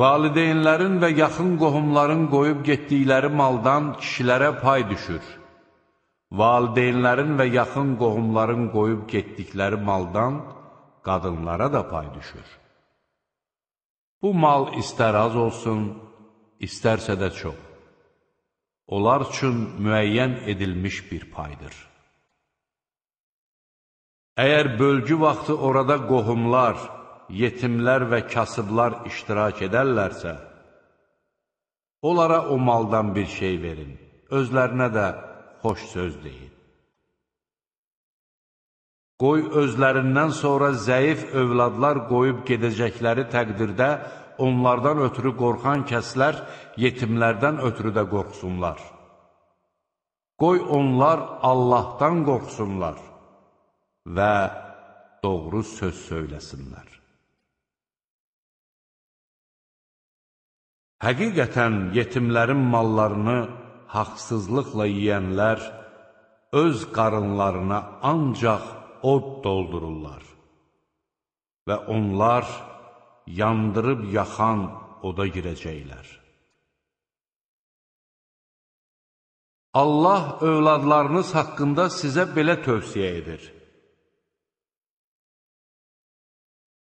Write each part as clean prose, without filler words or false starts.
Valideynlərin və yaxın qohumların qoyub getdikləri maldan kişilərə pay düşür. Valideynlərin və yaxın qohumların qoyub getdikləri maldan qadınlara da pay düşür. Bu mal istər az olsun, istərsə də çox. Onlar üçün müəyyən edilmiş bir paydır. Əgər bölgü vaxtı orada qohumlar, yetimlər və kasıblar iştirak edərlərsə, onlara o maldan bir şey verin, özlərinə də xoş söz deyin. Qoy özlərindən sonra zəif övladlar qoyub gedəcəkləri təqdirdə onlardan ötürü qorxan kəslər yetimlərdən ötürü də qorxsunlar. Qoy onlar Allahdan qorxsunlar və doğru söz söyləsinlər. Həqiqətən yetimlərin mallarını haqsızlıqla yiyənlər öz qarınlarına ancaq od doldururlar və onlar yandırıb yaxan oda girəcəklər. Allah övladlarınız haqqında sizə belə tövsiyə edir.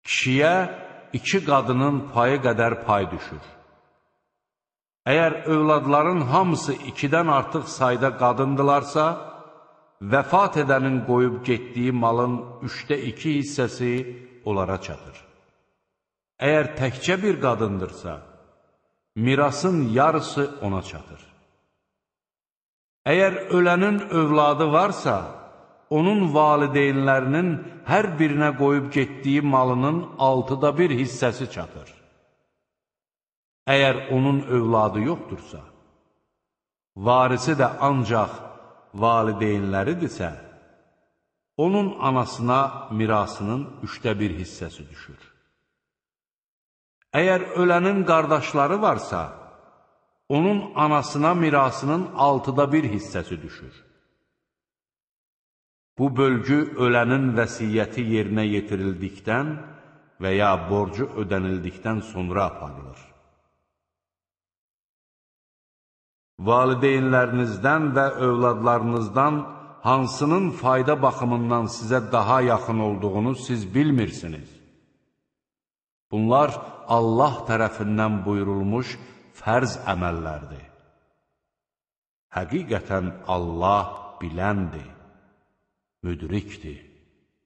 Kişiyə 2 qadının payı qədər pay düşür. Əgər övladların hamısı 2-dən artıq sayda qadındılarsa, vəfat edənin qoyub getdiyi malın 2/3 hissəsi onlara çatır. Əgər təkcə bir qadındırsa, mirasın yarısı ona çatır. Əgər ölənin övladı varsa, onun valideynlərinin hər birinə qoyub getdiyi malının 1/6 hissəsi çatır. Əgər onun övladı yoxdursa, varisi də ancaq valideynləridirsə, onun anasına mirasının 1/3 hissəsi düşür. Əgər ölənin qardaşları varsa, onun anasına mirasının 1/6 hissəsi düşür. Bu bölgü ölənin vəsiyyəti yerinə yetirildikdən və ya borcu ödənildikdən sonra aparılır. Valideynlərinizdən və övladlarınızdan hansının fayda baxımından sizə daha yaxın olduğunu siz bilmirsiniz. Bunlar Allah tərəfindən buyurulmuş fərz əməllərdir. Həqiqətən Allah biləndir, müdrikdir.